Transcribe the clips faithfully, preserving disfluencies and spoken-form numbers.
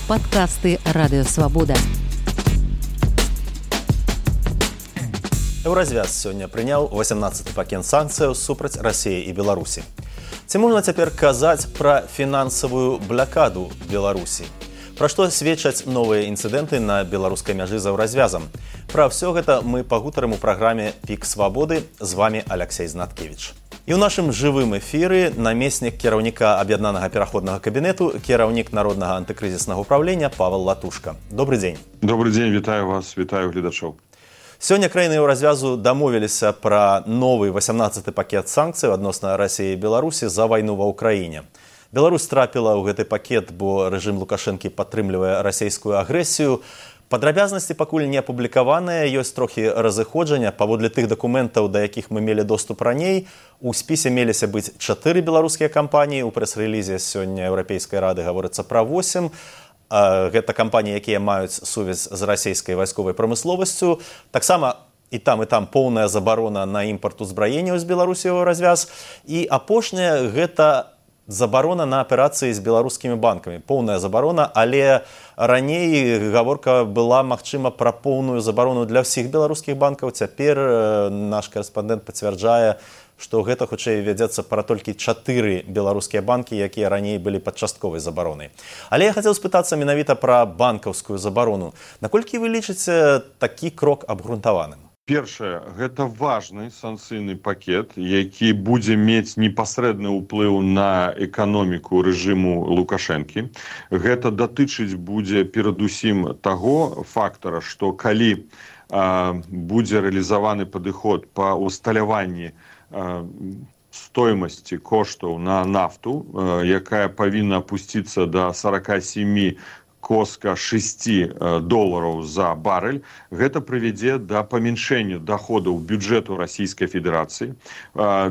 Падкасты Радыёвабода. Еўразвяз сёння прыняў васямнаццаты пакет санкцыяў супраць Расіі і Беларусі. Ці можна цяпер казаць пра фінансавую блакаду Беларусі? Пра што сведчаць новыя інцыдэнты на беларускай мяжы з еўразвязам? Пра ўсё гэта мы пагутарым у праграме «Пік свабоды». З вамі Аляксей Знаткевіч. І ў нашым жывым эфіры намеснік кіраўніка аб'яднанага пераходнага кабінету, кіраўнік народнага антыкрызіснага ўправлення Павел Латушка. Добры дзень. Добры дзень, вітаю вас, вітаю гледачоў. Сёння краіны еўразвязу дамовіліся пра новы васямнаццаты пакет санкцый адносна Расіі і Беларусі за вайну ва ўкраіне. Беларусь трапіла ў гэты пакет, бо рэжым Лукашэнкі падтрымлівае расійскую агрэсію. Падрабязнасці пакуль не апублікаваныя, ёсць трохі разыходжання. Паводле тых дакументаў, да якіх мы мелі доступ раней, у спісе меліся быць чатыры беларускія кампаніі. У прэс-рэлізе сёння Еўрапейскай рады гаворыцца пра восем. Гэта кампаніі, якія маюць сувязь з расійскай вайсковай прамысловасцю. Таксама і там, і там поўная забарона на імпарт узбраенняў з Беларусі ў развяз. І апошняе гэта забарона на аперацыі з беларускімі банкамі. Поўная забарона, але раней гаворка была, магчыма, пра поўную забарону для ўсіх беларускіх банкаў. Цяпер наш корэспандэнт пацвярджае, што гэта хутчэй вядзецца пра толькі чатыры беларускія банкі, якія раней былі пад частковай забаронай. Але я хацеў спытацца менавіта пра банкаўскую забарону. Наколькі вы лічыце такі крок абгрунтаваным? Першае, гэта важны санкцыйны пакет, які будзе мець непасрэдны ўплыў на эканоміку рэжыму Лукашэнкі. Гэта датычыць будзе перадусім таго фактара, што калі а, будзе рэалізаваны падыход па усталяванні а, стоимасці коштаў на нафту, а, якая павінна апусціцца да сорок семь коска шасці долараў за барэль, гэта прывядзе да памяншэння даходаў бюджэту Расійскай Федэрацыі,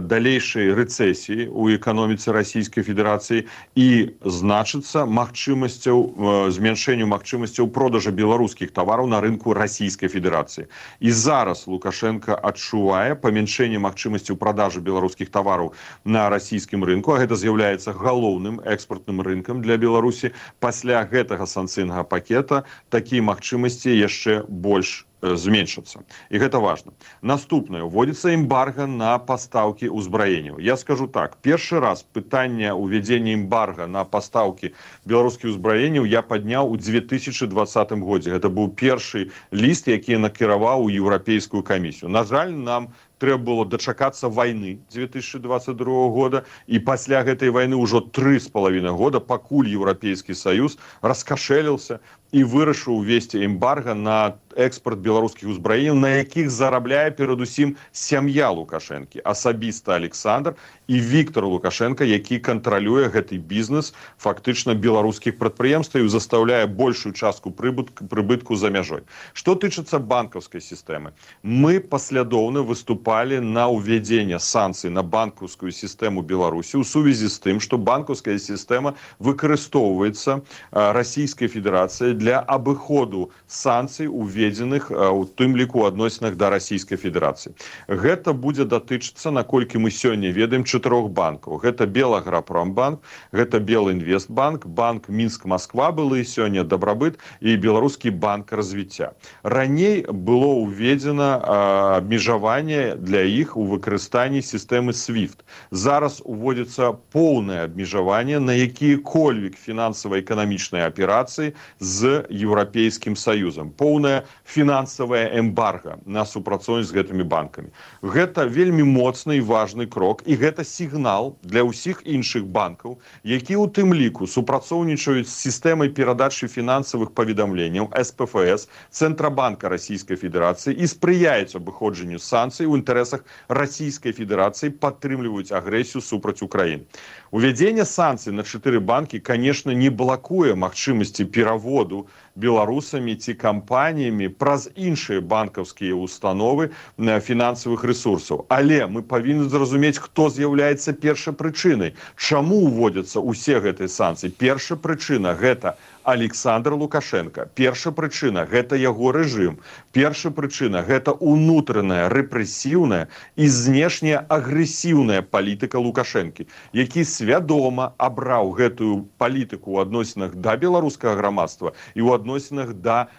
далейшай рэцэсіі ў эканоміцы Расійскай Федэрацыі і значыцца магчымасцяў, змяншэнню магчымасцяў продажа беларускіх тавараў на рынку Расійскай Федэрацыі. І зараз Лукашенко адчувае памяншэнне магчымасцяў продажы беларускіх тавараў на расійскім рынку, а гэта з'яўляецца галоўным экспартным рынкам для Беларусі. Пасля гэтага санкцыйнага пакета такія магчымасці яшчэ больш зменшацца. І гэта важна. Наступнае, уводзіцца эмбарга на пастаўкі ўзбраенняў. Я скажу так, першы раз пытанне ўвядзення эмбарга на пастаўкі беларускіх ўзбраенняў я падняў у две тысячы двадцатым годзе. Гэта быў першы ліст, які я накіраваў у Еўрапейскую камісію. На жаль, нам трэба было дачакацца вайны две тысячи двадцать другого года, і пасля гэтай вайны ўжо тры з палавінай года, пакуль Еўрапейскі Саюз раскашэліўся і вырашыў увесці эмбарга на экспорт беларускіх узбраенняў, на якіх зарабляе перадусім сям'я Лукашэнкі, асабіста Александр і Віктор Лукашенко, які кантралюе гэты бізнес фактычна беларускіх прадпрыемстваў і застаўляе большую частку прыбытку, прыбытку за мяжой. Што тычыцца банкаўскай сістэмы, мы паслядоўна выступалі на ўвядзенне санкцый на банкаўскую сістэму Беларусі ў сувязі з тым, што банкаўская сістэма выкарыстоўваецца Расійскай Федэрацыяй для абыходу санкцый, уведзеных у тым ліку адносінах да Расійскай Федэрацыі. Гэта будзе датычыцца, наколькі мы сёння ведаем, чатырох банкаў. Гэта Белаграпромбанк, гэта Белінвестбанк, банк Мінск-Масква былы сёння Дабрабыт і Беларускі банк развіцця. Раней было ўведзена абмежаванне для іх у выкарыстанні сістэмы свифт. Зараз уводзіцца поўнае абмежаванне на якія-кольвек фінансава-эканамічныя аперацыі з Еўрапейскім Саюзам. Поўная фінансавая эмбарга на супрацоўніцтва з гэтымі банкамі. Гэта вельмі моцны і важны крок, і гэта сігнал для ўсіх іншых банкаў, які ў тым ліку супрацоўнічаюць з сістэмай перадачы фінансавых паведамленняў эс пэ эф эс Цэнтрабанка Расійскай Федэрацыі і спрыяюць абыходжанню санкцый у інтарэсах Расійскай Федэрацыі, падтрымліваюць агрэсію супраць Украіны. Увядзенне санкцый на чатыры банкі, конечно, не блакуе магчымасці пераводу беларусамі ці кампаніямі праз іншыя банкаўскія установы фінансавых рэсурсаў. Але мы павінны зразумець, хто з'яўляецца першай прычынай. Чаму ўводзяцца ўсе гэтыя санкцыі? Першая прычына – гэта Александр Лукашенко. Першая прычына – гэта яго рэжым. Першая прычына – гэта унутраная, рэпрэсіўная і знешняя агрэсіўная палітыка Лукашэнкі, які свядома абраў гэтую палітыку ў адносінах да беларускага грамадства і ў адносінах да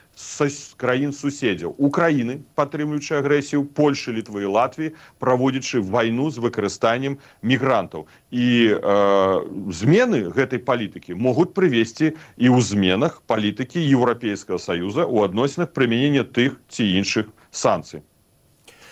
краін суседзяў. Украіны, падтрымліваючы агрэсію, Польшы, Літвы і Латвіі, праводзячы вайну з выкарыстаннем мігрантаў. І э, змены гэтай палітыкі могуць прывесці і ў зменах палітыкі Еўрапейскага Саюза ў адносінах прымянення тых ці іншых санкцый.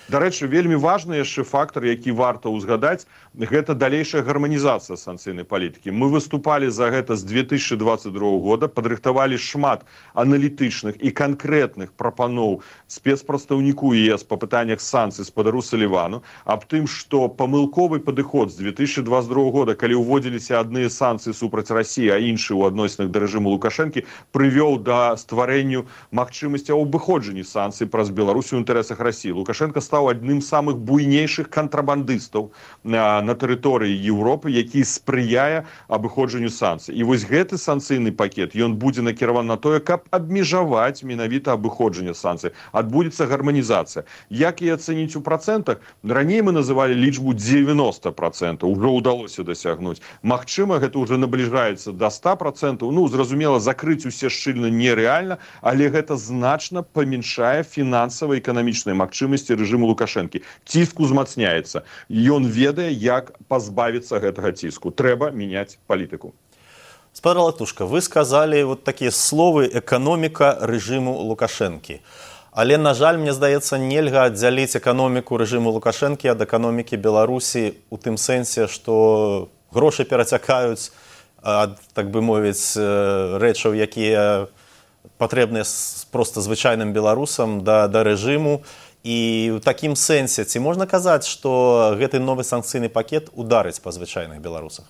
Дарэчы, вельмі важны яшчэ фактор, які варта ўзгадаць, гэта далейшая гарманізацыя санкцыйнай палітыкі. Мы выступалі за гэта з две тысячы двадцать другого года, падрыхтавалі шмат аналітычных і канкрэтных прапаноў спецпрадстаўніку ЕС па пытаннях санкцый спадару Салівану, аб тым, што памылковы падыход з две тысячи двадцать другого года, калі ўводзіліся адныя санкцыі супраць Расіі, а іншыя ў адносінах да рэжыму Лукашэнкі, прывёў да стварэнню магчымасці абыходжання санкцый праз Беларусь у інтарэсах Расіі. Лукашенко стаў адным з самых буйнейшых кантрабандыстаў на, на тэрыторыі Еўропы, які спрыяе абыходжанню санкцый. І вось гэты санкцыйны пакет, ён будзе накіраван на тое, каб абмежаваць менавіта абыходжанне санкцый. Адбудзецца гарманізацыя. Як і ацэніць у працэнтах? Раней мы называлі лічбу девяносто процентов, ужо ўдалося дасягнуць. Магчыма, гэта ўжо набліжаецца да ста процентов. Ну, зразумела, закрыць усе шчыльна нерэальна, але гэта значна памяншае фінансава-эканамічныя магчымасці рэжыму Лукашэнкі. Ціск узмацняецца. Ён ведае, як пазбавіцца гэтага ціску. Трэба мяняць палітыку. Спадар Латушка, вы сказалі вот такія словы «эканоміка рэжыму Лукашэнкі». Але, на жаль, мне здаецца, нельга аддзяліць эканоміку рэжыму Лукашэнкі ад эканомікі Беларусі у тым сэнсе, што грошы перацякаюць ад, так бы мовіць, рэчаў, якія патрэбныя проста звычайным беларусам да, да рэжыму. І ў такім сэнсе, ці можна казаць, што гэты новы санкцыйны пакет ударыць па звычайных беларусах?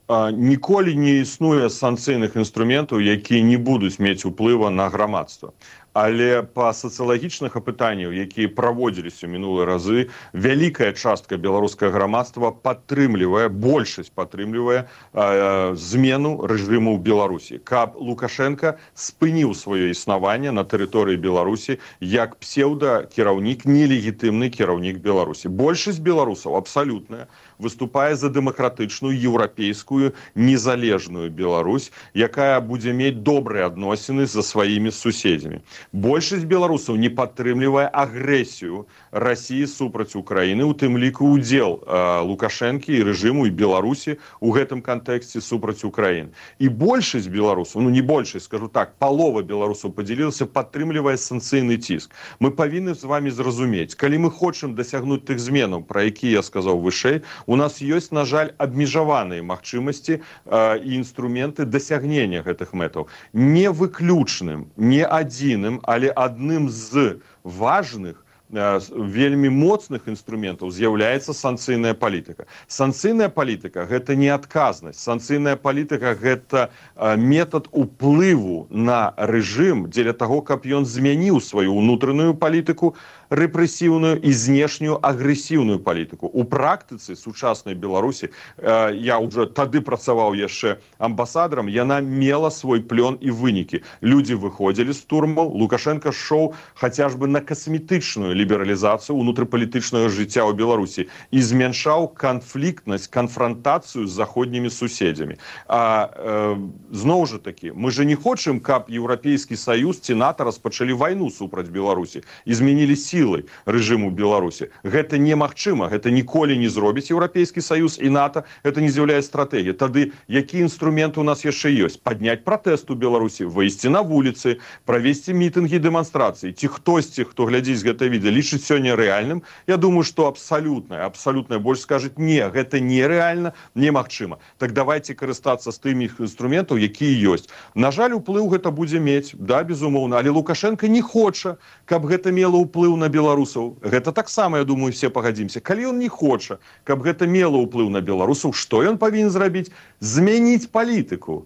Ніколі не існуе санкцыйных інструментаў, якія не будуць мець уплыва на грамадства. Але па сацыялагічных апытанняў, якія праводзіліся мінулыя разы, вялікая частка беларускага грамадства падтрымлівае, большасць падтрымлівае э, змену рэжыму ў Беларусі. Каб Лукашенко спыніў сваё існаванне на тэрыторыі Беларусі як псеўда-кіраўнік, нелегітымны кіраўнік Беларусі. Большасць беларусаў, абсалютная, выступае за дэмакратычную, еўрапейскую, незалежную Беларусь, якая будзе мець добрыя адносіны за сваімі суседзямі. Большасць беларусаў не падтрымлівае агрэсію Расіі супраць Украіны, у тым ліку удзел э, Лукашэнкі і рэжыму і Беларусі ў гэтым кантэксце супраць Украіны. І большасць беларусаў, ну не большасць, скажу так, палова беларусаў падзялілася, падтрымлівае санкцыйны ціск. Мы павінны з вами зразумець, калі мы хочам дасягнуць тых зменаў, пра якія я сказаў вышэй, у нас ёсць, на жаль, абмежаваныя магчымасці э, і інструменты дасягнення гэтых мэтаў. Не выключным, не адзіным, але адным з важных, вельмі моцных інструментаў з'яўляецца санкцыйная палітыка. Санкцыйная палітыка – гэта не адказнасць. Санкцыйная палітыка – гэта метад уплыву на рэжым дзеля таго, каб ён змяніў сваю ўнутраную палітыку, рэпрэсіўную і знешнюю агрэсіўную палітыку. У практыцы сучаснай Беларусі, я ўжо тады працаваў яшчэ амбасадарам, яна мела свой плён і вынікі. Людзі выходзілі з турмаў, Лукашенко шоў хаця ж бы на касметычную лібералізацыю ўнутрыпалітычнага жыцця ў Беларусі і змяншаў канфліктнасць, канфрантацыю з заходнімі суседзямі. А э, зноў жа такі, мы же не хочам, каб Еўрапейскі Саюз ці НАТО распачалі вайну супраць Беларусі і змянілі сілай рэжыму Беларусі. Гэта немагчыма, гэта ніколі не зробіць Еўрапейскі Саюз і НАТО, гэта не з'яўляецца стратэгіяй. Тады які інструмент у нас яшчэ ёсць? Падняць пратэст у Беларусі, выйсці на вуліцы, правесці мітынгі, дэманстрацыі. Ці хтосьці, хто глядзіць гэта відэа, лічыць сёння рэальным? Я думаю, што абсалютная, абсалютная больш скажуць, не, гэта нерэальна, немагчыма. Так давайте карыстацца з тымі інструментаў, якія ёсць. На жаль, уплыў гэта будзе мець, да, безумоўна, але Лукашенко не хоча, каб гэта мела ўплыў на беларусаў. Гэта таксама, я думаю, все пагадзімся. Калі ён не хоча, каб гэта мела ўплыў на беларусаў, што ён павінен зрабіць? Змяніць палітыку.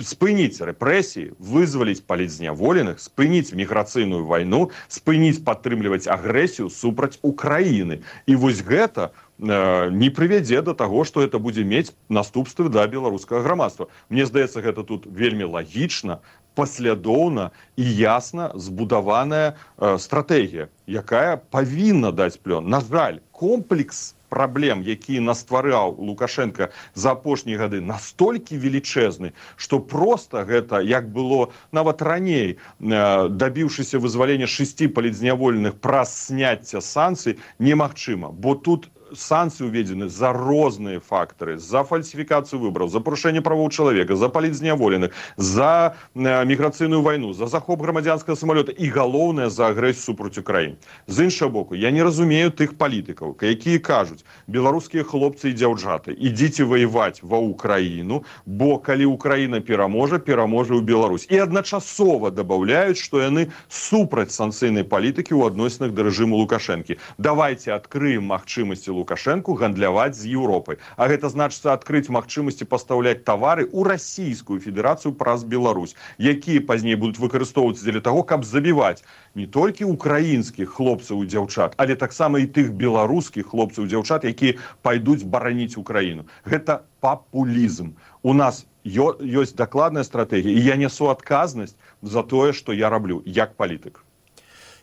спыніць рэпрэсіі, вызваліць палітзняволеных, спыніць міграцыйную вайну, спыніць падтрымліваць агрэсію супраць Украіны. І вось гэта э, не прывядзе да таго, што гэта будзе мець наступствы да беларускага грамадства. Мне здаецца, гэта тут вельмі лагічна, паслядоўна і ясна збудаваная э, стратэгія, якая павінна даць плён. На жаль, комплекс праблем, які наствараў Лукашенко за апошнія гады, настолькі велічэзны, што проста гэта, як было нават раней, дабіўшыся вызвалення шасці палітзняволеных праз сняцця санкцый, немагчыма. Бо тут санкцыі уведзены за розныя фактары, за фальсіфікацыю выбараў, за парушэнне правоў чалавека, за палітзняволеных, за міграцыйную вайну, за захоп грамадзянскага самалёта і, галоўнае, за агрэсію супраць Украіны. З іншага боку, я не разумею тых палітыкаў, якія кажуць: беларускія хлопцы і дзяўчаты, ідзіце ваяваць ва Украіну, бо калі Украіна пераможа, пераможа ў Беларусь. І адначасова дабаўляюць, што яны супраць санкцыйнай палітыкі ў адносінах да рэжыму Лукашэнкі. Давайце адкрыем магчымасці Лукашенку гандляваць з Еўропай. А гэта значыцца адкрыць магчымасці пастаўляць тавары ў Расійскую Федэрацыю праз Беларусь, якія пазней будуць выкарыстоўвацца дзеля таго, каб забіваць не толькі украінскіх хлопцаў і дзяўчат, але таксама і тых беларускіх хлопцаў і дзяўчат, якія пайдуць бараніць Украіну. Гэта папулізм. У нас ёсць дакладная стратэгія, і я несу адказнасць за тое, што я раблю як палітык.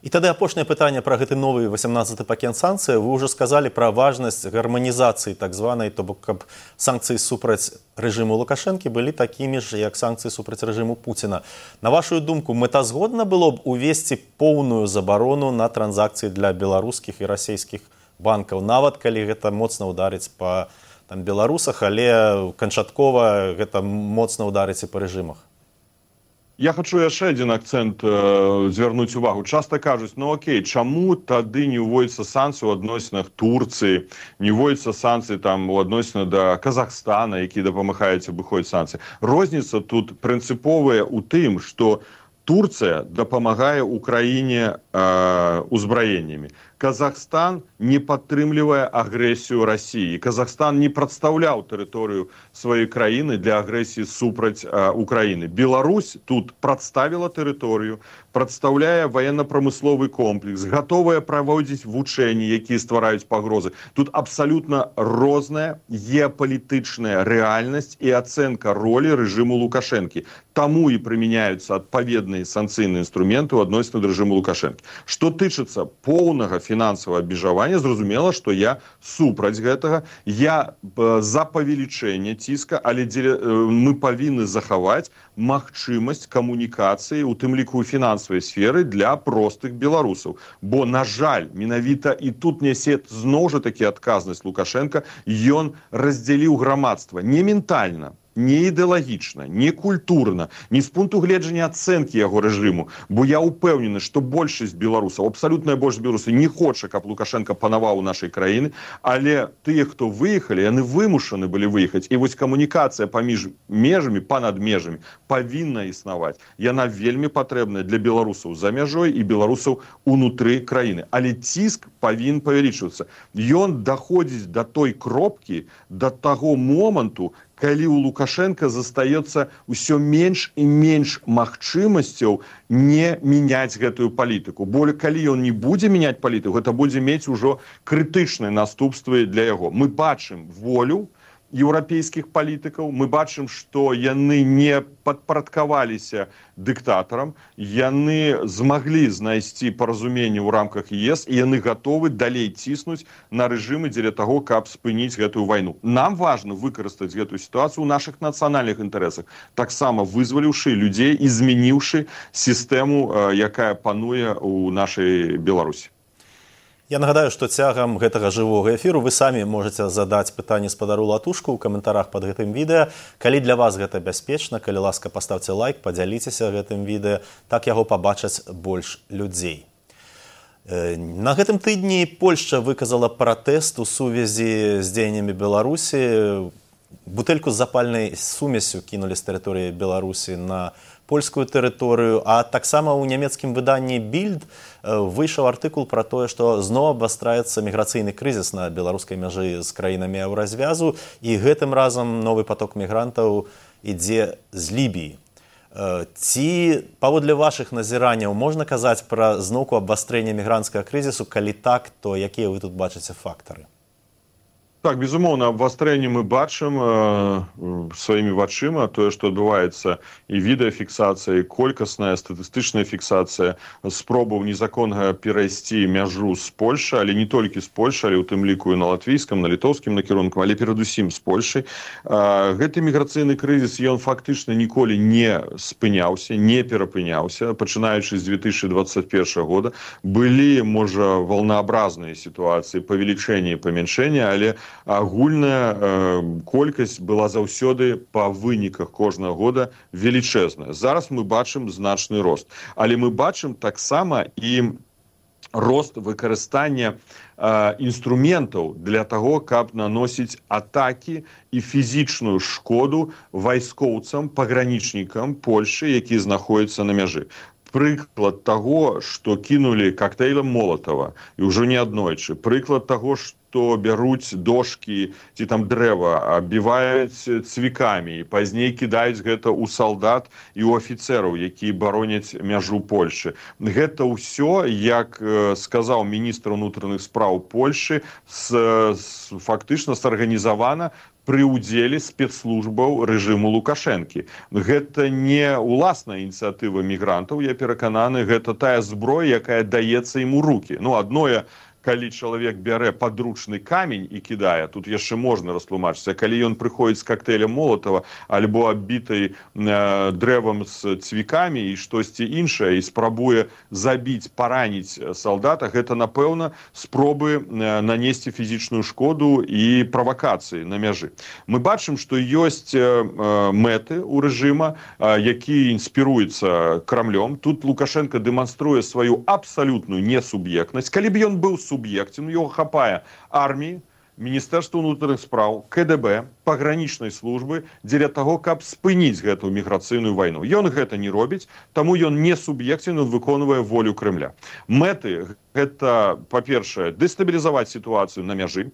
І тады апошняе пытанне пра гэты новы васямнаццаты пакет санкцый. Вы ўжо сказалі пра важнасць гарманізацыі так званай, то бок каб санкцыі супраць рэжыму Лукашэнкі былі такімі ж, як санкцыі супраць рэжыму Пуціна. На вашу думку, мэтазгодна было б увесці поўную забарону на транзакцыі для беларускіх і расійскіх банкаў, нават калі гэта моцна ўдарыць па там беларусах, але канчаткова гэта моцна ўдарыць і па рэжымах? Я хочу яшчэ адзін акцэнт э, звярнуць увагу. Часта кажуць: ну окей, чаму тады не ўводзяцца санкцыі ў адносінах Турцыі, не ўводзяцца санкцыі там у адносінах да Казахстана, які дапамагаюць абыходзіць санкцыі. Розніца тут прынцыповая ў тым, што Турцыя дапамагае Украіне э, узбраеннямі. Казахстан не падтрымлівае агрэсію Расіі. Казахстан не прадстаўляў тэрыторыю сваёй краіны для агрэсіі супраць э, Украіны. Беларусь тут прадставіла тэрыторыю, прадстаўляе военно-прамысловы комплекс, гатовая праводзіць вучэнні, якія ствараюць пагрозы. Тут абсалютна розная геапалітычная рэальнасць і ацэнка ролі рэжыму Лукашэнкі. Таму і прымяняюцца адпаведныя санкцыйныя інструменты ў адносінах да рэжыму Лукашэнкі. Што тычыцца поўнага фінансавага абмежавання, зразумела, што я супраць гэтага. Я э, за павелічэнне ціска, але дзеля, э, мы павінны захаваць магчымасць камунікацыі, у тым ліку ў фінансавай сферы, для простых беларусаў. Бо, на жаль, менавіта і тут нясе зноў жа такі адказнасць Лукашенка, ён раздзяліў грамадства не ментальна, не ідэалагічна, не культурна, не з пункту гледжання ацэнкі яго рэжыму, бо я ўпэўнены, што большасць беларусаў, абсалютная большасць беларусаў не хоча, каб Лукашенко панаваў у нашай краіны, але тыя, хто выехалі, яны вымушаны былі выехаць. І вось камунікацыя паміж межамі, панад межамі павінна існаваць. Яна вельмі патрэбная для беларусаў за мяжой і беларусаў унутры краіны. Але ціск павінен павялічвацца. Ён даходзіць да той кропкі, да таго моманту, калі у Лукашенка застаецца ўсё менш і менш магчымасцяў не мяняць гэтую палітыку. Бо калі ён не будзе мяняць палітыку, гэта будзе мець ужо крытычныя наступствы для яго. Мы бачым волю еўрапейскіх палітыкаў, мы бачым, што яны не падпарадкаваліся дыктатарам, яны змаглі знайсці паразуменне ў рамках ЕС, і яны гатовы далей ціснуць на рэжымы дзеля таго, каб спыніць гэтую вайну. Нам важна выкарыстаць гэтую сітуацыю ў нашых нацыянальных інтарэсах, таксама вызваліўшы людзей і змяніўшы сістэму, якая пануе ў нашай Беларусі. Я нагадаю, што цягам гэтага жывога эфіру вы самі можаце задаць пытанне спадару Латушку ў каментарах пад гэтым відэа. Калі для вас гэта бяспечна, калі ласка, паставце лайк, падзяліцеся гэтым відэа, так яго пабачаць больш людзей. На гэтым тыдні Польшча выказала пратэст у сувязі з дзеяннямі Беларусі. Бутэльку з запальнай сумесю кінулі з тэрыторыі Беларусі на польскую тэрыторыю, а таксама ў нямецкім выданні Більд выйшаў артыкул пра тое, што зноў абвастраецца міграцыйны крызіс на беларускай мяжы з краінамі еўразвязу, і гэтым разам новы поток мігрантаў ідзе з Лібіі. Ці, паводле вашых назіранняў, можна казаць пра зноўку абвастрэння мігрантскага крызісу? Калі так, то якія вы тут бачыце фактары? Так, безумоўна, абвастрэнне мы бачым э, сваімі вачыма, тое, што адбываецца і відэафіксацыя, і колькасная статыстычная фіксацыя спробаў незаконнага перайсці мяжу з Польшы, але не толькі з Польшы, але ў тым ліку і на латвійскім, на літоўскім накірунку, але перадусім з Польшай. Э, гэты міграцыйны крызіс, ён фактычна ніколі не спыняўся, не перапыняўся, пачынаючы з две тысячи двадцать первого года. Былі, можа, волнообразныя сітуацыі, павелічэння і памяншэння, але агульная э, колькасць была заўсёды па выніках кожнага года велічэзная. Зараз мы бачым значны рост. Але мы бачым таксама і рост выкарыстання э, інструментаў для таго, каб наносіць атакі і фізічную шкоду вайскоўцам, пагранічнікам Польшы, якія знаходзяцца на мяжы. Прыклад таго, што кінулі коктейлем Молотова, і ўжо не аднойчы. Прыклад таго, што што бяруць дошкі ці там дрэва, абіваюць цвікамі і пазней кідаюць гэта ў салдат і ў афіцэраў, якія бароняць мяжу Польшы. Гэта ўсё, як сказаў міністр унутраных спраў Польшы, с, с, фактычна сарганізавана пры ўдзеле спецслужбаў рэжыму Лукашэнкі. Гэта не ўласная ініцыятыва мігрантаў, я перакананы, гэта тая зброя, якая даецца ім у рукі. Ну, адное, калі чалавек бярэ падручны камень і кідае, тут яшчэ можна растлумачыць, калі ён прыходзіць з коктейлем Молотова альбо аббітай э, дрэвам з цвікамі і штосьці іншае і спрабуе забіць, параніць салдата, гэта, напэўна, спробы э, нанесці фізічную шкоду і правакацыі на мяжы. Мы бачым, што ёсць э, мэты ў рэжыма, э, які інспіруецца Крамлём. Тут Лукашенко дэманструе сваю абсалютную несуб'ектнасць. Калі б ён быў суб'ектам, його хапае арміі, Міністэрства ўнутраных спраў, ка дэ бэ, пагранічнай службы дзеля таго, каб спыніць гэту міграцыйную вайну. Ён гэта не робіць, таму ён не суб'ектен, ён выконвае волю Крэмля. Мэты гэта, па-першае, дэстабілізаваць сітуацыю на мяжы,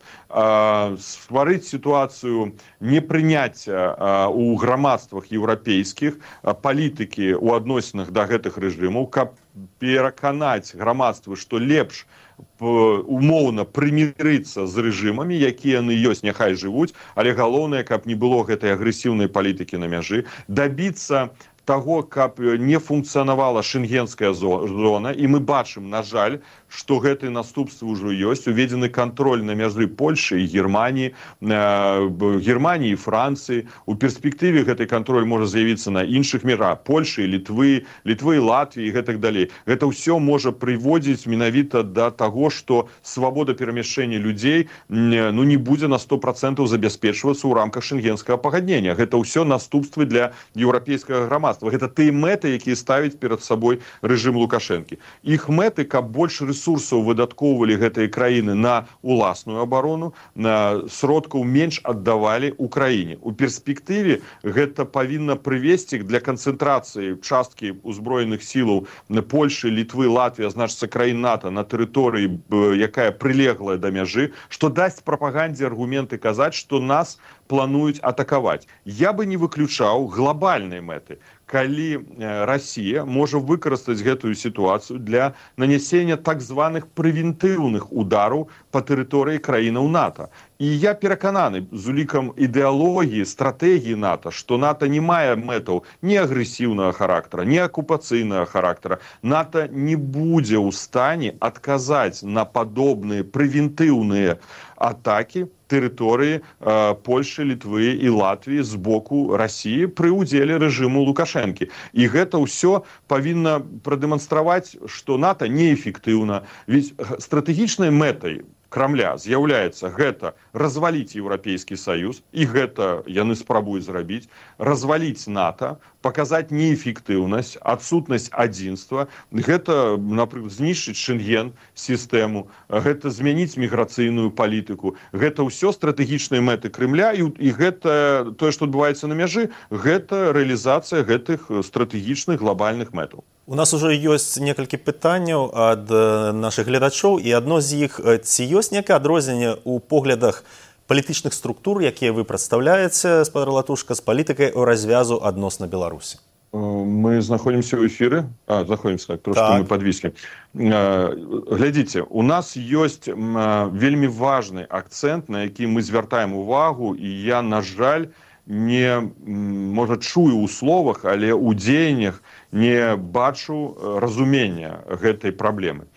стварыць сітуацыю непрыняцця ў грамадствах еўрапейскіх палітыкі ў адносінах да гэтых рэжымаў, каб пераканаць грамадствы, што лепш умоўна прымірыцца з рэжымамі, якія яны ёсць, няхай жывуць, але галоўнае, каб не было гэтай агрэсіўнай палітыкі на мяжы, дабіцца таго, каб не функцыянавала шенгенская зона, і мы бачым, на жаль, што гэтыя наступствы ўжо ёсць, уведзены кантроль на мяжы Польшы і Германіі, Германіі і Францыі. У перспектыве гэты кантроль можа з'явіцца на іншых мяжах Польшы, Літвы, Літвы і Латвіі і гэтак далей. Гэта ўсё можа прыводзіць менавіта да таго, што свабода перамяшчэння людзей ну, не будзе на сто процентаў забяспечвацца ў рамках шенгенскага пагаднення. Гэта ўсё наступствы для еўрапейскага грамадства. Гэта тыя мэты, якія ставіць перад сабой рэжым Лукашэнкі. Іх мэты, каб больш рэсурсаў выдаткоўвалі гэтыя краіны на уласную абарону, на сродкаў менш аддавалі Украіне. У перспектыве гэта павінна прывесці для канцэнтрацыі часткі ўзброеных сілаў Польшы, Літвы, Латвіі, значыцца краін НАТО на тэрыторыі, якая прылеглая да мяжы, што дасць прапагандзе аргументы казаць, што нас плануюць атакаваць. Я бы не выключаў глобальнай мэты, калі Расія можа выкарыстаць гэтую сітуацыю для нанясення так званых прэвентыўных удараў па тэрыторыі краінаў НАТО. І я перакананы з улікам ідэалогіі, стратэгіі НАТО, што НАТО не мае мэтаў ні агрэсіўнага характара, ні акупацыйнага характара. НАТО не будзе ў стане адказаць на падобныя прэвентыўныя атакі тэрыторыі э, Польшы, Літвы і Латвіі з боку Расіі пры ўдзеле рэжыму Лукашэнкі. І гэта ўсё павінна прадэманстраваць, што НАТО неэфектыўна. Ведь стратэгічнай мэтай Крамля з'яўляецца гэта разваліць Еўрапейскі Саюз, і гэта яны спрабуюць зрабіць, разваліць НАТО, паказаць неэфектыўнасць, адсутнасць адзінства, гэта, напрыклад, знішчыць Шенген-сістэму, гэта змяніць міграцыйную палітыку. Гэта ўсё стратэгічныя мэты Крэмля, і, і гэта, тое, што адбываецца на мяжы, гэта рэалізацыя гэтых стратэгічных глобальных мэтаў. У нас уже ёсць некалькі пытанняў ад нашых гледачоў, і адно з іх, ці ёсць некае адрозненне ў поглядах палітычных структур, якія вы прадстаўляеце, спадар Латушка, з палітыкай у развязу адносна Беларусі? Мы знаходзімся ў эфіры, а, знаходзімся, так, трошки так. Мы подвіслі. Глядзіце, у нас ёсць вельмі важны акцэнт, на які мы звяртаем увагу, і я, на жаль, не, можа, чую ў словах, але ў дзеяннях не бачу разумення гэтай праблемы.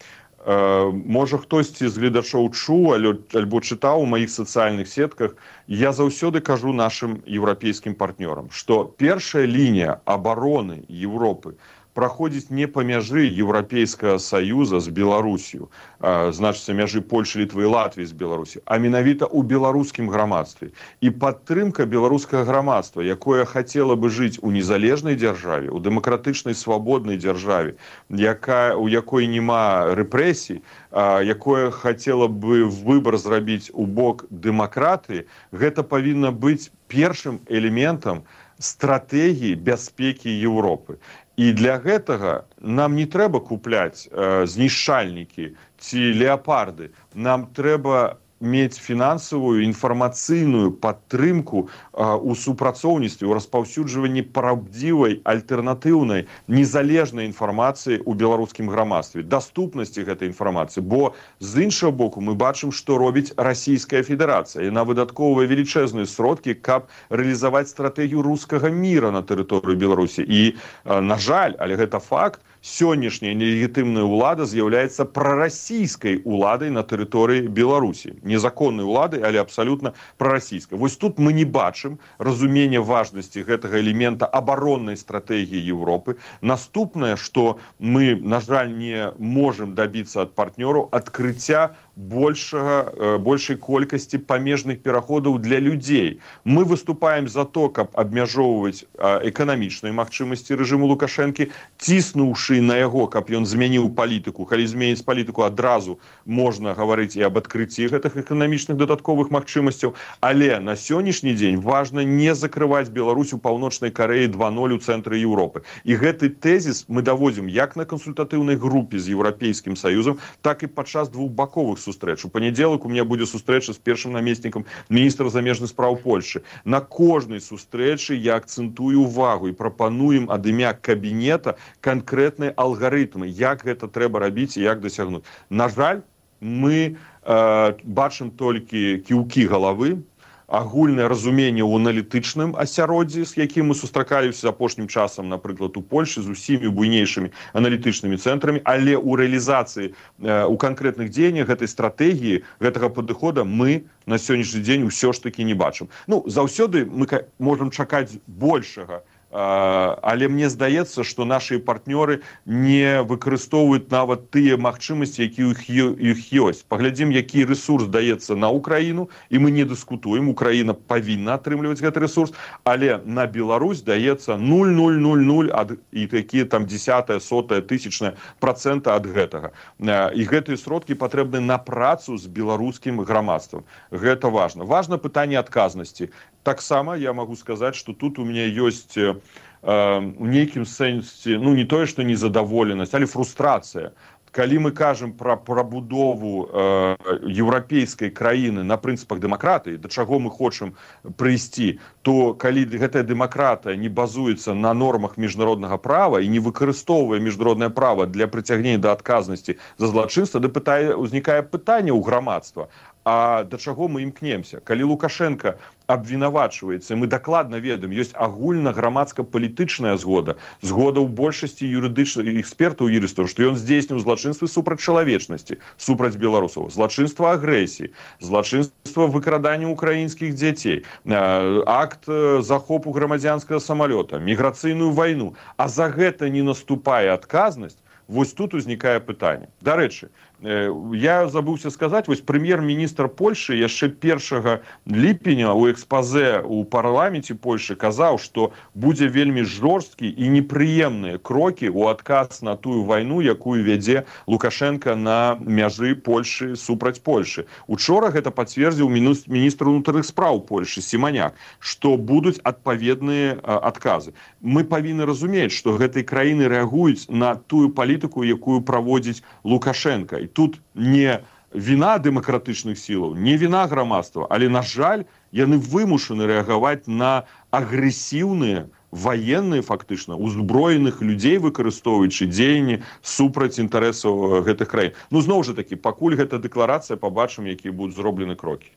Можа, хтосьці з гледачоў чуў альбо чытаў у маіх сацыяльных сетках, я заўсёды кажу нашым еўрапейскім партнёрам, што першая лінія абароны Еўропы праходзіць не па мяжы Еўрапейскага Саюза з Беларусію, значыцца мяжы Польшы, Літвы і Латвіі з Беларусі, а менавіта ў беларускім грамадстве. І падтрымка беларускага грамадства, якое хацела бы жыць у незалежнай дзяржаве, у дэмакратычнай свабоднай дзяржаве, якая, у якой няма рэпрэсій, якое хацела бы выбар зрабіць у бок дэмакратыі, гэта павінна быць першым элементам стратэгіі бяспекі Еўропы. І для гэтага нам не трэба купляць э, знішчальнікі ці леапарды. Нам трэба мець фінансавую, інфармацыйную падтрымку э, у супрацоўніцтве, у распаўсюджванні праўдзівай, альтэрнатыўнай, незалежнай інфармацыі ў беларускім грамадстве, даступнасці гэтай інфармацыі. Бо з іншага боку мы бачым, што робіць Расійская Федэрацыя. Яна выдаткоўвае велічэзныя сродкі, каб рэалізаваць стратэгію рускага міра на тэрыторыі Беларусі. І, э, на жаль, але гэта факт, сённяшняя нелегітымная ўлада з'яўляецца прарасійскай уладай на тэрыторыі Беларусі. Незаконнай уладай, але абсалютна прарасійскай. Вось тут мы не бачым разумення важнасці гэтага элемента абароннай стратэгіі Еўропы. Наступнае, што мы, на жаль, не можам дабіцца ад партнёраў адкрыцця большага, большай колькасці памежных пераходаў для людзей. Мы выступаем за то, каб абмяжоўваць эканамічныя магчымасці рэжыму Лукашэнкі, ціснуўшы на яго, каб ён змяніў палітыку. Калі зменіць палітыку, адразу можна гаварыць і аб адкрыцці гэтых эканамічных дадатковых магчымасцяў. Але на сённяшні дзень важна не закрываць Беларусь у Паўночнай Карэі два ноль у цэнтры Еўропы. І гэты тэзіс мы даводзім як на кансультатыўнай групе з Еўрапейскім Саюзам, так і падчас двухбаковых сустрэч. У панядзелак у меня будзе сустрэча з першым намеснікам міністра замежных спраў Польшы. На кожнай сустрэчы я акцэнтую увагу і прапануем ад імя кабінета канкрэтныя алгарытмы, як гэта трэба рабіць і як дасягнуць. На жаль, мы э, бачым толькі кіўкі галавы, агульнае разуменне ў аналітычным асяроддзі, з якім мы сустракаліся апошнім часам, напрыклад, у Польшы з усімі буйнейшымі аналітычнымі цэнтрамі, але ў рэалізацыі, у канкрэтных дзеяннях гэтай стратэгіі, гэтага падыхода мы на сённяшні дзень усё ж такі не бачым. Ну, заўсёды мы можам чакаць большага, але мне здаецца, што нашы партнёры не выкарыстоўваюць нават тыя магчымасці, якія ў іх ёсць. Паглядзім, які рэсурс даецца на Украіну, і мы не дыскутуем, Украіна павінна атрымліваць гэты рэсурс, але на Беларусь даецца нуль нуль нуль нуль і такія там дзесятая, сотая, тысячная працэнта ад гэтага. І гэтыя сродкі патрэбны на працу з беларускім грамадствам. Гэта важна. Важна пытанне адказнасці. Таксама я могу сказаць, што тут у меня ёсць э, у нейкім сэнсе, ну не тое, што незадаволенасць, але фрустрацыя. Калі мы кажам пра прабудову э, еўрапейскай краіны на прынцыпах дэмакратыі, да чаго мы хочам прыйсці, то калі гэтая дэмакратыя не базуецца на нормах міжнароднага права і не выкарыстоўвае міжнароднае права для прыцягнення да адказнасці за злачынства, да пытае, узнікае пытанне ў грамадства. А да чаго мы імкнемся? Калі Лукашенко абвінавачваецца, мы дакладна ведаем, ёсць агульна-грамадска-палітычная згода, згода ў большасці юрыдычных экспертаў юрыстаў, што ён здзейсніў злачынствы супраць чалавечнасці, супраць беларусаў, злачынства агрэсіі, злачынства выкрадання украінскіх дзяцей, акт захопу грамадзянскага самалёта, міграцыйную вайну. А за гэта не наступае адказнасць. Вось тут узнікае пытанне. Дарэчы, я забыўся сказаць, вось прэм'ер-міністр Польшы яшчэ першага ліпеня ў экспазе ў парламенце Польшы казаў, што будзе вельмі жорсткі і непрыемныя крокі ў адказ на тую вайну, якую вядзе Лукашенко на мяжы Польшы супраць Польшы. Учора гэта пацвердзіў міністр унутраных спраў Польшы Сіманяк, што будуць адпаведныя адказы. Мы павінны разумець, што гэтай краіны рэагуюць на тую палітыку, якую праводзіць Лукашенко. І тут не віна дэмакратычных сілаў, не віна грамадства, але, на жаль, яны вымушаны рэагаваць на агрэсіўныя военные фактычна узброеных людзей, выкарыстоўваючы дзеянні супраць інтарэсаў гэтых краін. Ну зноў жа такі, пакуль гэта дэкларацыя, пабачым, якія будуць зроблены крокі.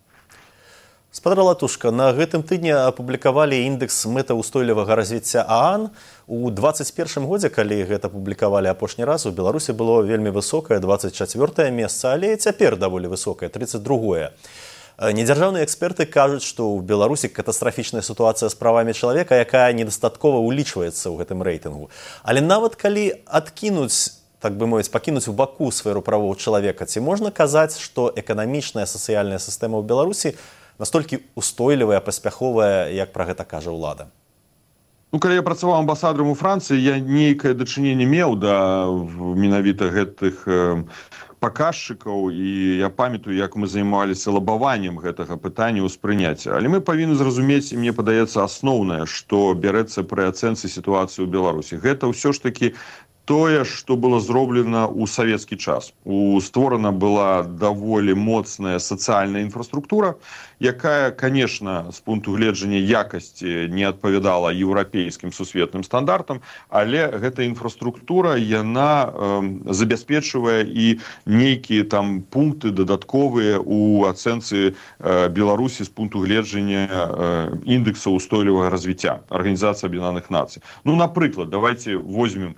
Спадар Латушка, на гэтым тыдні апублікавалі індекс мэтаўстойлівага развіцця ААН. У двадцать першым годзе, калі гэта публікавалі апошні раз, у Беларусі было вельмі высокае двадцать чацвёртае месца, але цяпер даволі высокае тридцать другое. Недзяржаўныя эксперты кажуць, што ў Беларусі катастрафічная сітуацыя з правамі чалавека, якая недастаткова ўлічваецца ў гэтым рэйтынгу. Але нават калі адкінуць, так бы мовіць, пакінуць у баку сферу правоў чалавека, ці можна казаць, што эканамічная сацыяльная сістэма ў Беларусі настолькі устойлівая, паспяховая, як пра гэта кажа ўлада? Ну, калі я працаваў амбасадарам у Францыі, я нейкае дачыненне меў да менавіта гэтых э, паказчыкаў, і я памятаю, як мы займаліся лабаваннем гэтага пытання ўспрыняцця. Але мы павінны зразумець, і мне падаецца асноўнае, што бярэцца пры ацэнцы сітуацыі ў Беларусі. Гэта ўсё ж такі тое, што было зроблена ў савецкі час. У створана была даволі моцная сацыяльная інфраструктура, якая, конечно, з пункту гледжання якасці не адпавядала еўрапейскім сусветным стандартам, але гэта інфраструктура, яна э, забяспечвае і нейкія там пункты дадатковыя ў ацэнцы э, Беларусі з пункту гледжання э, індекса ўстойлівага развіцця Арганізацыі Аб'яднаных Нацый. Ну, напрыклад, давайте возьмем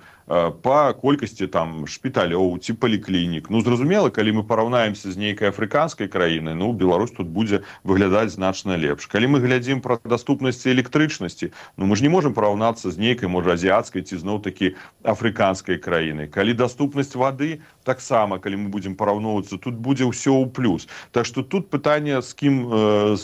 по колькасці там шпіталёў ці паліклінік. Ну, зразумела, калі мы параўнаемся з нейкай афрыканскай краінай, ну, Беларусь тут будзе выглядаць значна лепш. Калі мы глядзім пра даступнасці электрычнасці, ну, мы ж не можам параўнацца з нейкай, можа, азіяцкай ці зноў-такі афрыканскай краінай. Калі даступнасць вады, таксама, калі мы будзем параўноўвацца, тут будзе ўсё ў плюс. Так што тут пытанне, з кім э,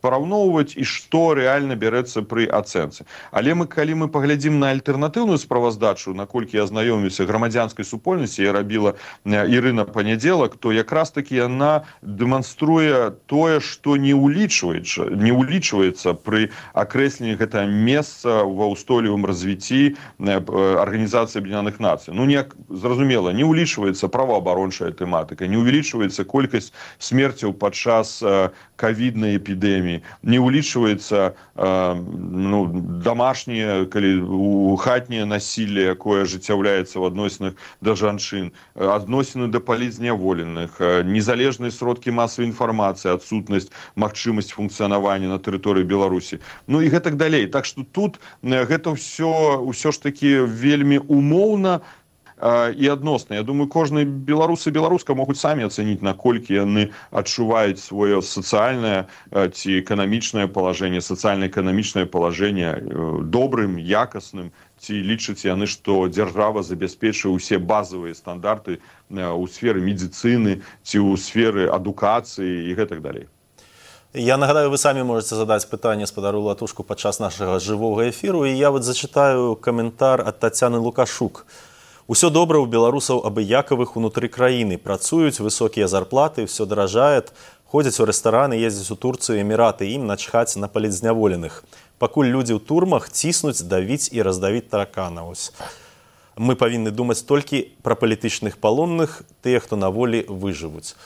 параўноўваць і што рэальна бярэцца пры ацэнцы. Але мы, калі мы паглядзім на альтэрнатыўную справаздачу, наколькі я знаёміўся грамадзянскай супольнасці, я рабіла Ірына Панядзелак, то якраз такі яна дэманструе тое, што не ўлічваецца, не ўлічваецца пры акрэсленні гэтага месца ва ўстойлівым развіцці Арганізацыі Аб'яднаных Нацый. Ну, не, зразумела, не ўлічваецца праваабарончая тэматыка, не ўвялічваецца колькасць смерцяў падчас э, ковіднай эпідэміі, не ўлічваецца э, ну, дамашняе, калі у хатняе насілле, якое ажыццяўляецца ў адносінах да жанчын, адносіны да палізняволеных, незалежныя сродкі масавай інфармацыі, адсутнасць магчымасць функцыянавання на тэрыторыі Беларусі. Ну і гэтак далей. Так што тут гэта ўсё, ўсё ж такі вельмі умоўна і адносна. Я думаю, кожны беларус і беларуска могуць самі ацэніць, наколькі яны адчуваюць сваё сацыяльнае ці эканамічнае палажэнне, сацыяльна-эканамічнае палажэнне добрым, якасным, ці лічаць яны, што дзяржава забяспечвае ўсе базавыя стандарты ў сферы медыцыны ці ў сферы адукацыі і гэтак далей. Я нагадаю, вы самі можете задаць пытанне спадару Латушку падчас нашага жывога эфіру, і я вот зачытаю каментар ад Тацяны Лукашук. Усё добра ў беларусаў абыякавых унутры краіны. Працуюць, высокія зарплаты, все даражает, ходзяць у рэстараны, ездзяць у Турцыю, Эміраты, ім начхаць на палізняволеных. Пакуль людзі ў турмах ціснуць, давіць і раздавіць тараканаў. Мы павінны думаць толькі пра палітычных палонных, тыя, хто на волі выжывуць.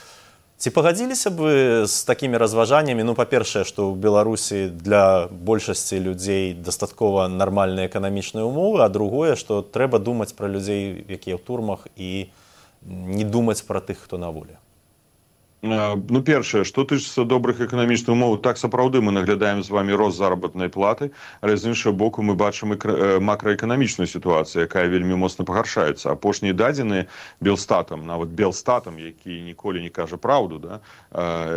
Ці пагадзіліся б вы з такімі разважаннямі? Ну, па-першае, што ў Беларусі для большасці людзей дастаткова нармальныя эканамічныя ўмовы, а другое, што трэба думаць пра людзей, якія ў турмах, і не думаць пра тых, хто на волі. Ну, першае, што тычыцца добрых эканамічных умоў, так сапраўды мы наглядаем з вами рост заработнай платы, але з іншага боку мы бачым макраэканамічную сітуацыю, якая вельмі моцна пагаршаецца. Апошнія дадзеныя Белстатам, нават Белстатам, які ніколі не кажа праўду, да?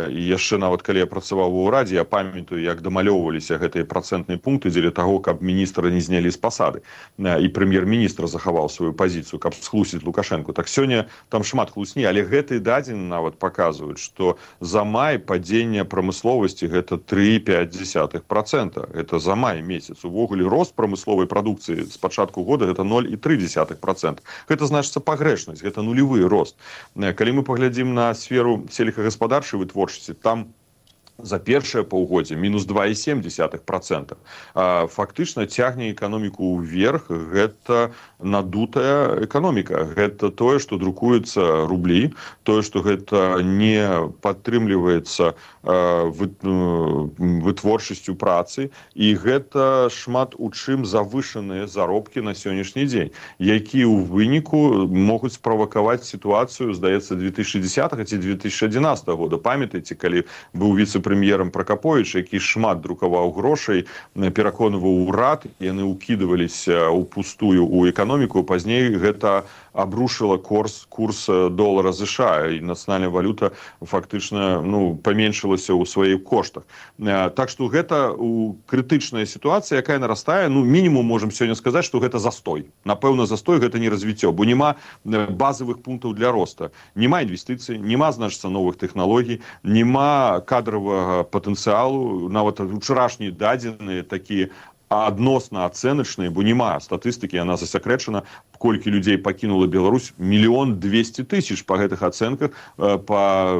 І яшчэ нават калі я працаваў у ўрадзе, я памятаю, як дамалёўваліся гэтыя працэнтныя пункты дзеля таго, каб міністра не знялі з пасады, і прэм'ер-міністр захаваў сваю пазіцыю, каб схлусіць Лукашэнку. Так сёння там шмат хлусні, але гэтыя дадзеныя нават паказваюць, што за май падзення прамысловасці гэта тры і пяць дзесятых працэнта. Это за май месяц. Увогуле рост прамысловай прадукцыі з пачатку года гэта ноль і тры дзесятых працэнта. Гэта значыцца пагрэшнасць, гэта нулевы рост. Калі мы паглядзім на сферу сельскагаспадарчай вытворчасці, там за першае паўгоддзе мінус два і сем дзесятых процента. Фактычна цягне эканоміку ўверх, гэта надутая эканоміка. Гэта тое, што друкуецца рублі, тое, што гэта не падтрымліваецца вытворчасцю працы, і гэта шмат у чым завышаныя заробкі на сённяшні дзень, якія ў выніку могуць справакаваць сітуацыю, здаецца, две тысячи десятого ці две тысячи одиннадцатого года. Памятаеце, калі быў віцэ-прэм'ерам Пракаповіч, які шмат друкаваў грошай, пераконваў урад, яны ўкідваліся ў пустую ў эканоміку, пазней гэта абрушыла курс, курс долара США, і нацыянальная валюта фактычна ну, паменшылася ў сваіх коштах. Так што гэта крытычная сітуацыя, якая нарастае, ну мінімум можам сёння сказаць, што гэта застой. Напэўна, застой гэта не развіццё, бо няма базавых пунктаў для роста. Няма інвестыцый, няма, значыцца, новых тэхналогій, няма кадравага патэнцыялу, нават учарашнія дадзеныя такія адносна ацэначныя, бо няма статыстыкі, яна засакрэчана, колькі людзей пакінула Беларусь, мільён двесце тысяч па гэтых ацэнках, па,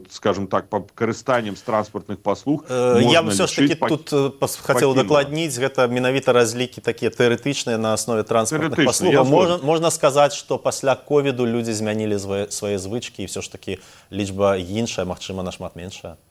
скажем так, па карыстаннем з транспартных паслуг. Я бы все ж таки тут хацеў дакладніць, гэта менавіта разлікі такія тэарэтычныя на аснове транспартных паслуг. Можна, можна сказаць, што пасля ковіду людзі змянілі свае звычкі, і все ж таки лічба іншая, магчыма, нашмат меншая.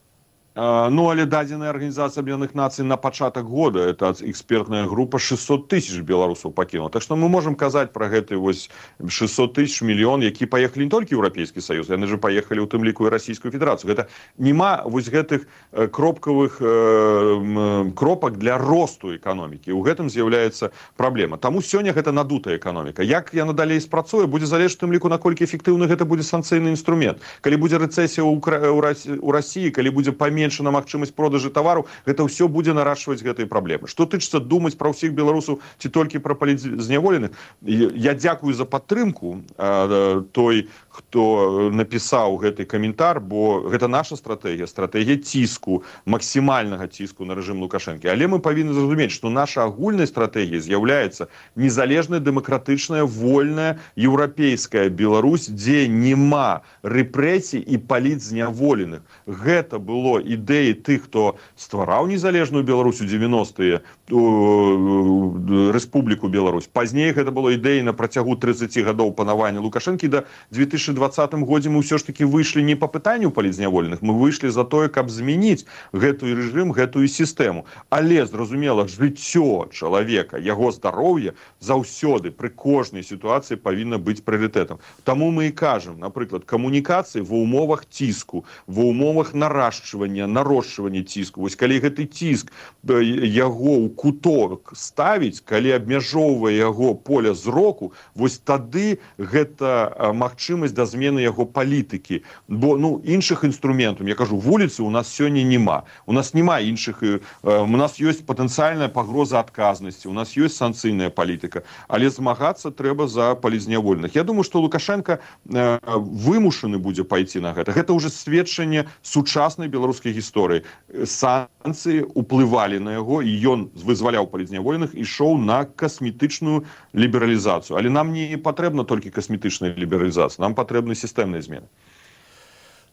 Ну, але дадзеная Арганізацыя Аб'яднаных Нацый на пачатак года, это экспертная група, шестьсот тысяч беларусаў пакінула. Так што мы можам казаць пра гэты вось шестьсот тысяч, мільён, які паехалі не толькі ў Еўрапейскі Саюз, яны же паехалі ў тым ліку і Расійскую Федэрацыю. Гэта няма вось гэтых кропкавых э, кропак для росту эканомікі. У гэтым з'яўляецца праблема. Таму сёння гэта надутая эканоміка. Як яна далей спрацуе, будзе залежаць тым ліку, наколькі эфектыўны гэта будзе санкцыйны інструмент. Калі будзе рэцэсія ў Расіі, калі будзе паменш на магчымасць продажы тавару, гэта ўсё будзе нарашваць гэтыя праблемы. Што тычыцца думаць пра ўсіх беларусаў ці толькі пра палітзняволеных, я дзякую за падтрымку а, той, хто напісаў гэты каментар, бо гэта наша стратэгія, стратэгія ціску, максімальнага ціску на рэжым Лукашэнкі. Але мы павінны зразумець, што наша агульная стратэгія з'яўляецца незалежная, дэмакратычная, вольная, еўрапейская Беларусь, дзе няма рэпрэсій і палітзняволеных. Гэта было ідэі тых, хто ствараў незалежную Беларусь у девяностыя, Рэспубліку Беларусь. Пазней гэта было ідэі на працягу тридцати гадоў панавання Лукашэнкі. Да две тысячи двадцатым годзе мы ўсё ж таки выйшлі не па пытанню палітзняволеных, мы выйшлі за тое, каб змяніць гэтую рэжым, гэтую сістэму. Але, зразумела, жыццё чалавека, яго здароўе заўсёды пры кожнай сітуацыі павінна быць прыярытэтам. Таму мы і кажам, напрыклад, камунікацыі ва ўмовах ціску, ва ўмовах нарошчвання, нарошчвання ціску. Вось калі гэты ціск яго ў куток ставіць, калі абмяжоўвае яго поля зроку, вось тады гэта магчымасць да змены яго палітыкі. Бо ну іншых інструментаў, я кажу, вуліцы у нас сёння няма. У нас няма іншых, у нас ёсць патэнцыяльная пагроза адказнасці, у нас ёсць санкцыйная палітыка, але змагацца трэба за палітзняволеных. Я думаю, што Лукашенко вымушаны будзе пайти на гэта. Гэта ўжо сведчанне сучаснай беларускай гісторыі. Санкцыі ўплывалі на яго, і ён вызваляў палітзняволеных, ішоў на касметычную лібералізацыю. Але нам не патрэбна толькі касметычная лібералізацыя, нам патрэбны сістэмныя змены.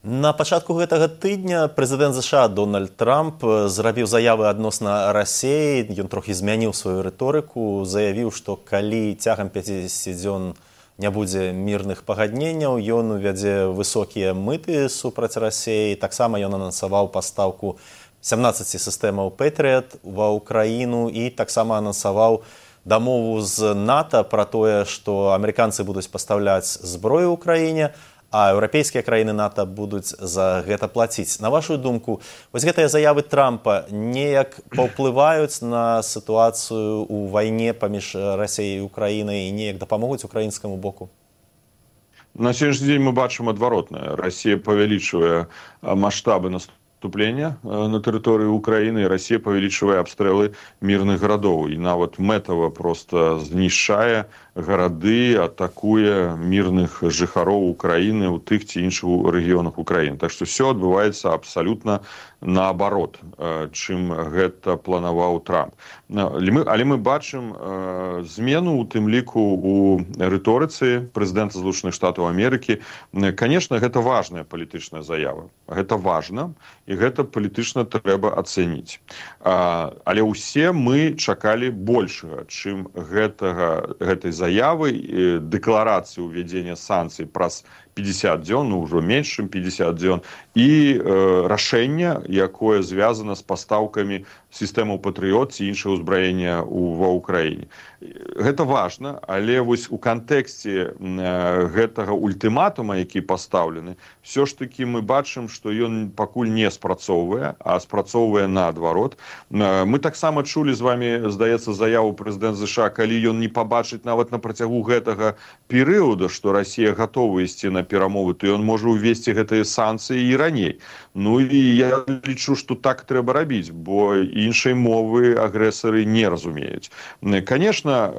На пачатку гэтага тыдня прэзідэнт ЗША Дональд Трамп зрабіў заявы адносна Расіі, ён трохі змяніў сваю рыторыку, заявіў, што калі цягам пяцідзесяці дзён не будзе мірных пагадненняў, ён увядзе высокія мыты супраць Расіі. Таксама ён анансаваў пастаўку сямнаццаці сістэмаў Пэтрыят ва ўкраіну і таксама анансаваў дамову з НАТО пра тое, што амерыканцы будуць пастаўляць зброю ў краіне, а еўрапейскія краіны НАТО будуць за гэта плаціць. На вашу думку, вось гэтыя заявы Трампа неяк паўплываюць на сітуацыю ў вайне паміж Расіяй і Украінай і неяк дапамогуць украінскаму боку? На сённяшні дзень мы бачым адваротнае. Расія павялічвае маштабы наступлення на тэрыторыі Украіны, і Расія павялічвае абстрэлы мірных гарадоў і нават мэтава проста знішчае гарады, атакуе мірных жыхароў Украіны ў тых ці іншых рэгіёнах Украіны. Так што все адбываецца абсалютна наоборот, чым гэта планаваў Трамп. Але мы, але мы бачым змену, у тым ліку у рыторыцы прэзідэнта Злучаных Штатаў Амерыкі. Конечно, гэта важная палітычная заява. Гэта важна, і гэта палітычна трэба ацэніць. Але ўсе мы чакалі большага, чым гэтага, гэтай заявы, дэкларацыі ўвядзення санкцый праз пятьдесят дзён, ну ўжо менш, чым пятьдесят дзён, і э, рашэння, якое звязана з пастаўкамі сістэмаў Патрыёт ці іншага ўзбраення ва ўкраіне. Гэта важна, але вось у кантэксце э, гэтага ультыматума, які пастаўлены, все ж таки мы бачым, што ён пакуль не спрацоўвае, а спрацоўвае наадварот. Э, мы таксама чулі з вами, здаецца, заяву прэзідэнта ЗША, калі ён не пабачыць нават на працягу гэтага перыяда, што Расія гатова ісці на перамовы, то ён можа увесці гэтыя санкцыі і раней. Ну і я лічу, што так трэба рабіць, бо іншай мовы агрэсары не разумеюць. Конечно,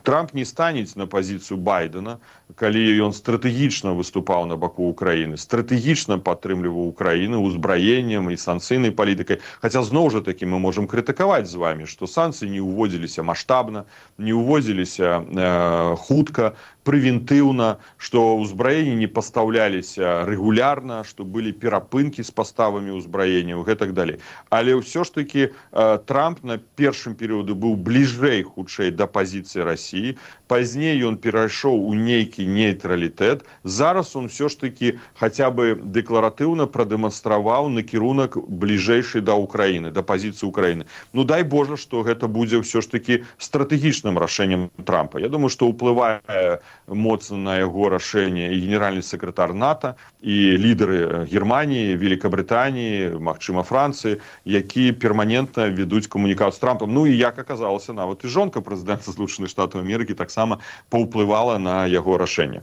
Трамп не станець на пазіцыю Байдена, калі ён стратэгічна выступаў на баку Украіны, стратэгічна падтрымліваў Украіну узбраеннем і санкцыйнай палітыкай. Хаця зноў жа такі мы можам крытыкаваць з вами, што санкцыі не ўводзіліся маштабна, не ўводзіліся э, хутка, прэвентыўна, што ўзбраенні не пастаўляліся рэгулярна, што былі перапынкі з паставамі ўзбраенняў і так далей. Але ўсё ж такі э, Трамп на першым перыяду быў бліжэй хутчэй да пазіцыі Расіі, пазней ён перайшоў у нейкі нейтралітэт. Зараз он все ж таки хаця бы дэкларатыўна прадэманстраваў накірунак бліжэйшай да Украіны, да пазіцыі Украіны. Ну дай Божа, што гэта будзе все ж таки стратэгічным рашэннем Трампа. Я думаю, што ўплывае моцна на яго рашэнне і генеральны сакратар НАТО, і лідары Германії, Великабрытаніі, магчыма Францыі, які перманентна ведуць камунікацыю з Трампам. Ну і як аказалася, нават і жонка прэзідэнта Злучаных Штатаў Амерыкі таксама паўплывала на яго рашэнне.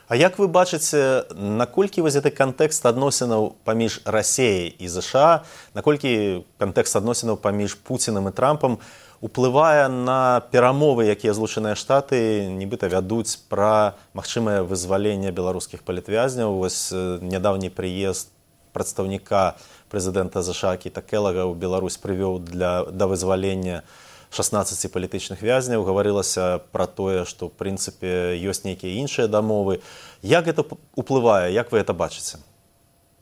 А як вы бачыце, наколькі вось гэты кантэкст адносінаў паміж Расіяй і ЗША, наколькі кантэкст адносінаў паміж Пуцінам і Трампам уплывае на перамовы, якія Злучаныя Штаты нібыта вядуць пра магчымае вызваленне беларускіх палітвязняў? Вось нядаўні прыезд прадстаўніка прэзідэнта ЗША Кіта Келага ў Беларусь прывёў для, да вызвалення шаснаццаці палітычных вязняў. Гаварылася пра тое, што ў прынцыпе ёсць нейкія іншыя дамовы. Як гэта уплывае, як вы гэта бачыце?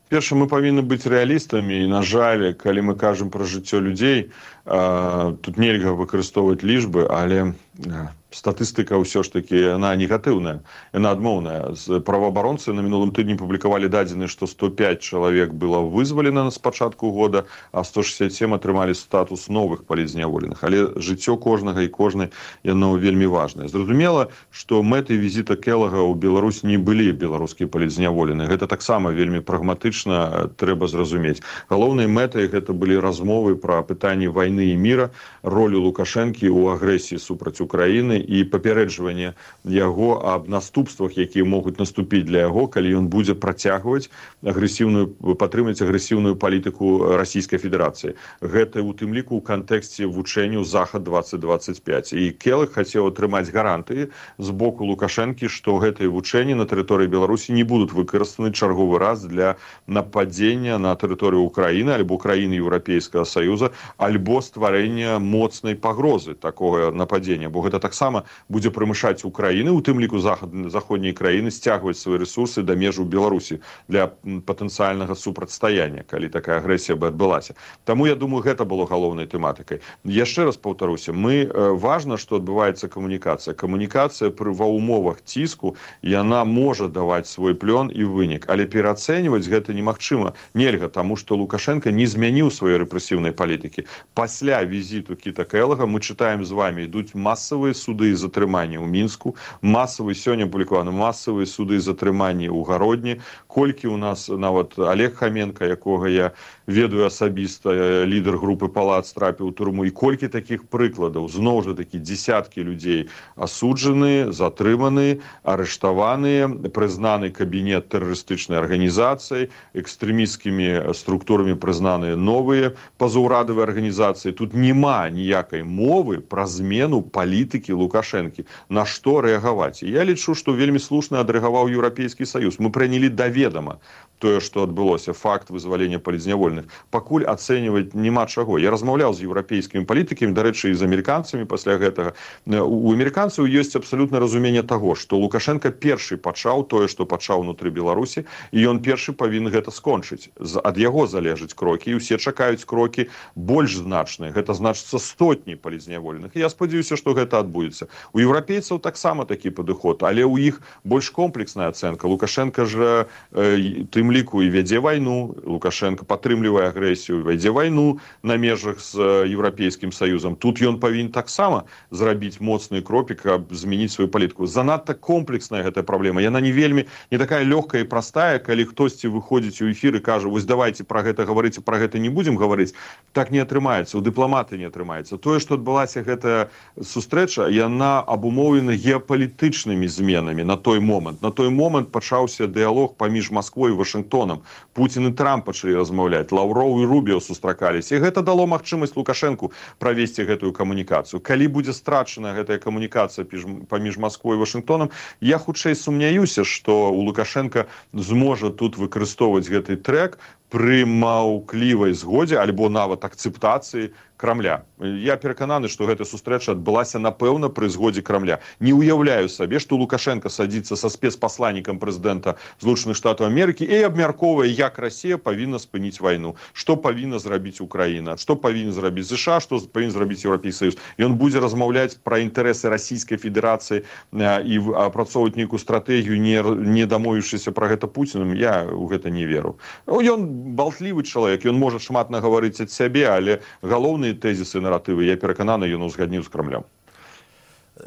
Перша, мы павінны быць рэалістамі, і, на жаль, калі мы кажам пра жыццё людзей, э, тут нельга выкарыстоўваць лічбы, але э, статыстыка ўсё ж такі, яна негатыўная, яна адмоўная. Праваабаронцы на мінулым тыдні публікавалі дадзены, што сто пяць чалавек было вызвалена з пачатку года, а сто шэсцьдзесят сем атрымалі статус новых палітзняволеных. Але жыццё кожнага і кожнай, яно вельмі важнае. Зразумела, што мэтай візіта Келага ў Беларусь не былі беларускія палітзняволеныя. Гэта таксама вельмі прагматычна трэба зразумець. Галоўнай мэтай гэта былі размовы пра пытанні вайны і міра, ролю Лукашэнкі ў агрэсіі супраць Украіны і папярэджванне яго аб наступствах, якія могуць наступіць для яго, калі ён будзе працягваць агрэсіўную, падтрымаць агрэсіўную палітыку Расійскай Федэрацыі. Гэта у тым ліку ў кантэксце вучэнняў Захад двадцать двадцать пять. І Келаг хацеў атрымаць гарантыі з боку Лукашэнкі, што гэтыя вучэнні на тэрыторыі Беларусі не будуць выкарыстаны чарговы раз для нападзення на тэрыторыю Украіны альбо краіны Еўрапейскага Саюза, альбо стварэння моцнай пагрозы такога нападзення, бо гэта таксама будзе прымушаць Украіны, у тым ліку заходняй краіны, сцягваць свае рэсурсы да межаў Беларусі для патэнцыяльнага супрацьстаяння, калі такая агрэсія бы адбылася. Таму я думаю, гэта было галоўнай тэматыкай. Яшчэ раз паўтаруся, мы важна, што адбываецца камунікацыя. Камунікацыя пры ва ўмовах ціску, яна можа даваць свой плён і вынік, але пераацэньваць гэта немагчыма, нельга, таму што Лукашенко не змяніў сваёй рэпрэсіўнай палітыкі. Пасля візіту Кіта Келага мы чытаем з вами, ідуць масавыя суды і затрыманні ў Мінску, масавыя, сёння апублікаваны масавыя суды і затрыманні ў Гародні, колькі у нас нават Олег Хаменко, якога я ведаю асабіста, лідар групы Палац трапіў у турму. І колькі такіх прыкладаў, зноў жа такі дзесяткі людзей асуджаны, затрыманы, арыштаваныя, прызнаны кабінет тэрарыстычнай арганізацыі, экстрэмісцкімі структурамі прызнаныя новыя пазаўрадавыя арганізацыі. Тут няма ніякай мовы пра змену палітыкі Лукашэнкі. На што рэагаваць? І я лічу, што вельмі слушна адрэагаваў Еўрапейскі Саюз. Мы прынялі да ведама тое, што адбылося, факт вызвалення палітзнявольных. Пакуль ацэньваць няма чаго. Я размаўляў з еўрапейскімі палітыкамі, дарэчы, і з амерыканцамі пасля гэтага. У амерыканцаў ёсць абсалютна разуменне таго, што Лукашенко першы пачаў тое, што пачаў унутры Беларусі, і ён першы павінен гэта скончыць. Ад яго залежаць крокі, і ўсе чакаюць крокі больш значныя. Гэта значыцца сотні палітзнявольных. Я спадзяюся, што гэта адбудзецца. У еўрапейцаў таксама такі падыход, але ў іх больш комплексная ацэнка. Лукашенко ж э, тым ліку і вядзе вайну, Лукашенко падтрымлівае агрэсію, вядзе вайну на межах з Еўрапейскім Саюзам. Тут ён павінен таксама зрабіць моцны крокі, каб змяніць сваю палітыку. Занадта комплексная гэтая праблема. Яна не вельмі, не такая лёгкая і простая, калі хтосьці выходзіць у эфір і кажа, вось давайте пра гэта гаварыць, пра гэта не будзем гаварыць. Так не атрымаецца, у дыпламаты не атрымаецца. Тое, што адбылася гэтая сустрэча, яна абумоўлена геапалітычнымі зменамі на той момант. На той момант пачаўся дыялог паміж Масквой і Вашынгтонам. Путін і Трамп пачалі размаўляць, Лаўроў і Рубіо сустракаліся. І гэта дало магчымасць Лукашэнку правесці гэтую камунікацыю. Калі будзе страчана гэтая камунікацыя паміж Масквой і Вашынгтонам, я хутчэй сумняюся, што у Лукашенка зможа тут выкарыстоўваць гэты трэк пры маўклівай згодзе альбо нават акцэптацыі Крамля. Я перакананы, што гэта сустрэча адбылася, напэўна, пры згодзе Крамля. Не ўяўляю сабе, што Лукашенко садзіцца са спецпасланнікам прэзідэнта Злучаных Штатаў Амерыкі і абмяркоўвае, як Расія павінна спыніць вайну, што павінна зрабіць Украіна, што павінен зрабіць ЗША, што павінен зрабіць Еўрапейскі Саюз. Ён будзе размаўляць пра інтарэсы Расійскай Федэрацыі і апрацоўваць нейкую стратэгію, не, не дамовіўшыся пра гэта Пуціным. Я ў гэта не веру. Ён балтлівы чалавек, ён можа шмат нагаварыць ад сябе, але галоўны тезісы, наратывы, я перакананы, ён узгадніў з Крамлем.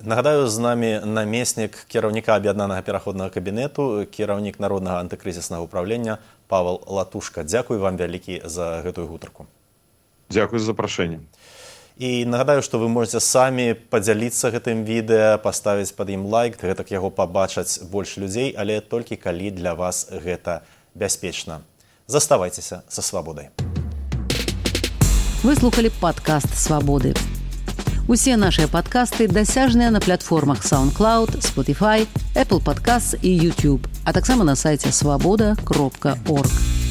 Нагадаю, з намі намеснік кіраўніка аб'яднанага пераходнага кабінету, кіраўнік народнага антыкрызіснага ўправлення Павел Латушка. Дзякуй вам вялікі за гэтую гутарку. Дзякуй за запрашэнне. І нагадаю, што вы можете самі падзяліцца гэтым відэа, паставіць пад ім лайк, гэтак яго пабачаць больш людзей, але толькі калі для вас гэта бяспечна. Заставайцеся са свабодай. Вы слухали падкаст «Свабоды». Усе нашыя падкасты дасяжныя на платформах SoundCloud, Spotify, Apple Podcasts і YouTube, а таксама на сайце свабода кропка орг.